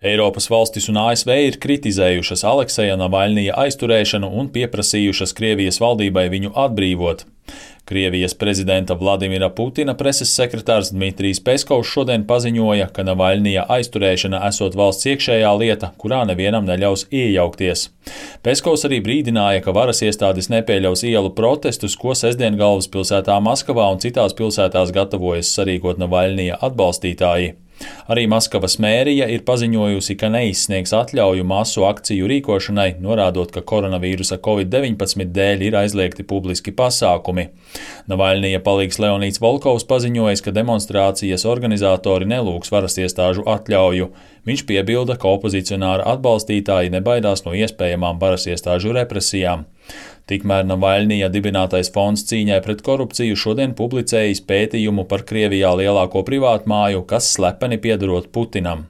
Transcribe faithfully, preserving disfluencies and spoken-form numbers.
Eiropas valstis un A S V ir kritizējušas Alekseja Navaļnija aizturēšanu un pieprasījušas Krievijas valdībai viņu atbrīvot. Krievijas prezidenta Vladimira Putina preses sekretārs Dmitrijs Peskovs šodien paziņoja, ka Navaļnija aizturēšana esot valsts iekšējā lieta, kurā nevienam neļaus iejaukties. Peskovs arī brīdināja, ka varas iestādes nepieļaus ielu protestus, ko sestdien galvaspilsētā Maskavā un citās pilsētās gatavojas sarīkot Navaļnija atbalstītāji. Arī Maskavas mērija ir paziņojusi, ka neizsniegs atļauju masu akciju rīkošanai, norādot, ka koronavīrusa covid deviņpadsmit dēļ ir aizliegti publiski pasākumi. Navaļnija palīgs Leonīds Volkovs paziņojis, ka demonstrācijas organizatori nelūgs varas iestāžu atļauju. Viņš piebilda, ka opozicionāra atbalstītāji nebaidās no iespējamām varas iestāžu represijām. Tikmēr Navaļnija dibinātais fonds cīņai pret korupciju šodien publicējis pētījumu par Krievijā lielāko privātmāju, kas slepeni piederot Putinam.